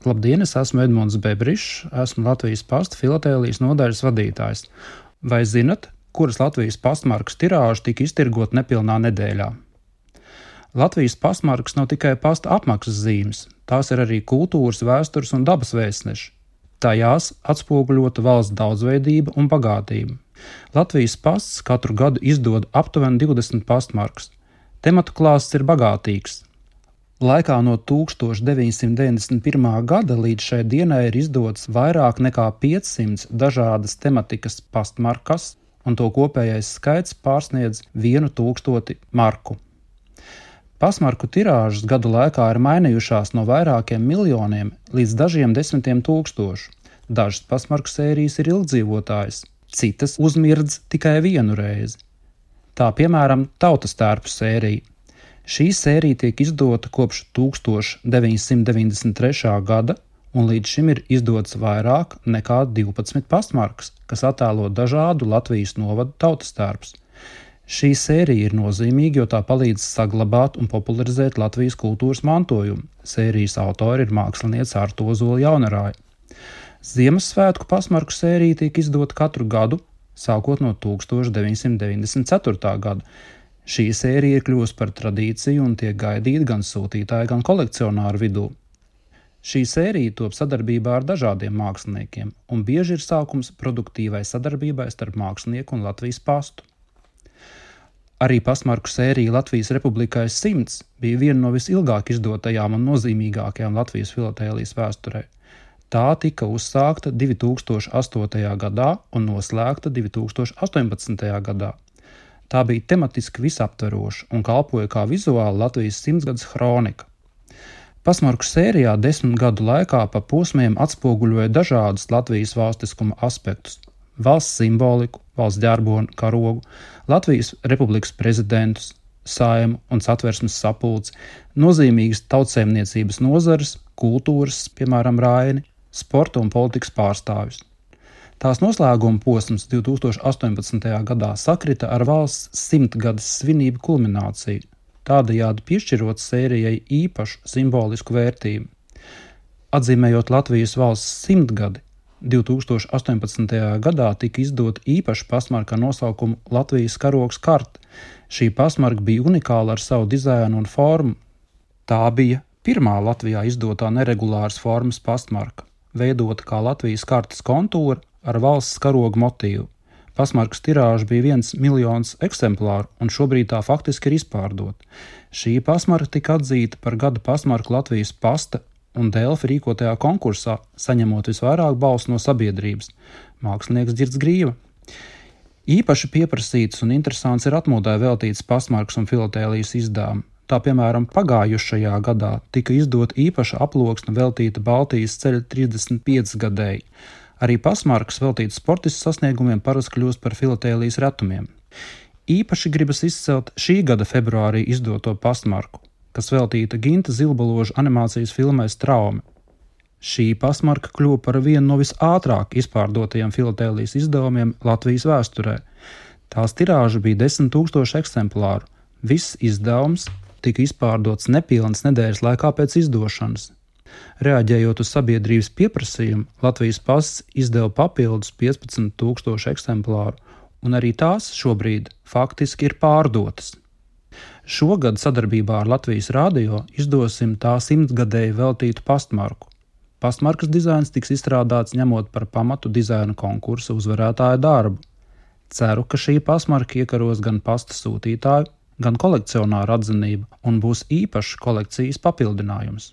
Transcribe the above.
Labdien, es esmu Edmunds Bebrišs, esmu Latvijas Pasta filatēlijas nodaļas vadītājs. Vai zinat, kuras Latvijas pastmarkas tirāža tika iztirgota nepilnā nedēļā? Latvijas pastmarkas nav tikai pasta apmaksas zīmes, tās ir arī kultūras, vēstures un dabas vēstneši. Tajās atspoguļota valsts daudzveidība un bagātība. Latvijas pasts katru gadu izdod aptuveni 20 pastmarkas. Tematu klāsts ir bagātīgs. Laikā no 1991. gada līdz šai dienai ir izdots vairāk nekā 500 dažādas tematikas pastmarkas, un to kopējais skaits pārsniedz 1000 marku. Pastmarku tirāžas gadu laikā ir mainījušās no vairākiem miljoniem līdz dažiem desmitiem tūkstošu. Dažas pastmarku sērijas ir ilgdzīvotājas, citas uzmirdz tikai vienu reizi. Tā piemēram Tautas tērpu sērija. Šī sērija tiek izdota kopš 1993. gada, un līdz šim ir izdots vairāk nekā 12 pastmarkas, kas attēlo dažādu Latvijas novadu tautas tērpus. Šī sērija ir nozīmīga, jo tā palīdz saglabāt un popularizēt Latvijas kultūras mantojumu. Sērijas autori ir māksliniece Arta Ozola Jaunarāja. Ziemassvētku pastmarku sērija tiek izdota katru gadu, sākot no 1994. gada. Šī sērija ir kļuvusi par tradīciju un tiek gaidīta gan sūtītāju, gan kolekcionāru vidū. Šī sērija top sadarbībā ar dažādiem māksliniekiem, un bieži ir sākums produktīvai sadarbībai starp mākslinieku un Latvijas pastu. Arī pastmarku sērija Latvijas Republikai 100 bija viena no visilgāk izdotajām un nozīmīgākajām Latvijas filatēlijas vēsturē. Tā tika uzsākta 2008. gadā un noslēgta 2018. gadā. Tā bija tematiski visaptveroša un kalpoja kā vizuāla Latvijas 100-gads hronika. Pastmarku sērijā 10 gadu laikā pa posmiem atspoguļoja dažādus Latvijas valstiskuma aspektus – valsts simboliku, valsts ģerboni, karogu, Latvijas Republikas prezidentus, Saeimu un Satversmes sapulci, nozīmīgas tautsēmniecības nozares, kultūras, piemēram, raini, sporta un politikas pārstāvjus. Tās noslēguma posms 2018. gadā sakrita ar valsts 100-gadas svinību kulmināciju, tādējādi piešķirot sērijai īpašu simbolisku vērtību. Atzīmējot Latvijas valsts 100 gadi, 2018. gadā tika izdota īpaša pastmarka ar nosaukumu Latvijas karogs karte. Šī pastmarka bija unikāla ar savu dizainu un formu. Tā bija pirmā Latvijā izdotā neregulāras formas pastmarka, veidota kā Latvijas kartes kontūra ar valsts karoga motīvu. Pastmarkas tirāža bija 1 miljons eksemplāru, un šobrīd tā faktiski ir izpārdota. Šī pastmarka tika atzīta par gada pastmarku Latvijas Pasta un Delfi rīkotajā konkursā, saņemot visvairāk balsu no sabiedrības – mākslinieks Dzirds Grīva. Īpaši pieprasīts un interesants ir atmodai veltīts pastmarkas un filatēlijas izdevumi. Tā, piemēram, pagājušajā gadā tika izdota īpaša aploksne veltīta Baltijas ceļa 35 gadēji. Arī pastmarkas veltītas sportistu sasniegumiem parasti kļūst par filatēlijas retumiem. Īpaši gribas izcelt šī gada februārī izdoto pastmarku, kas veltīta Ginta Zilbaloža animācijas filmai Straume. Šī pastmarka kļuva par vienu no visātrāk izpārdotajiem filatēlijas izdevumiem Latvijas vēsturē. Tās tirāža bija 10 000 eksemplāru. Viss izdevums tika izpārdots nepilnas nedēļas laikā pēc izdošanas. Reaģējot uz sabiedrības pieprasījumu, Latvijas pasts izdeva papildus 15 000 eksemplāru, un arī tās šobrīd faktiski ir pārdotas. Šogad sadarbībā ar Latvijas radio izdosim tā 100-gadēji veltītu pastmarku. Pastmarkas dizains tiks izstrādāts ņemot par pamatu dizaina konkursa uzvarētāja darbu. Ceru, ka šī pastmarka iekaros gan pasta sūtītāju, gan kolekcionāru atzinību un būs īpašs kolekcijas papildinājums.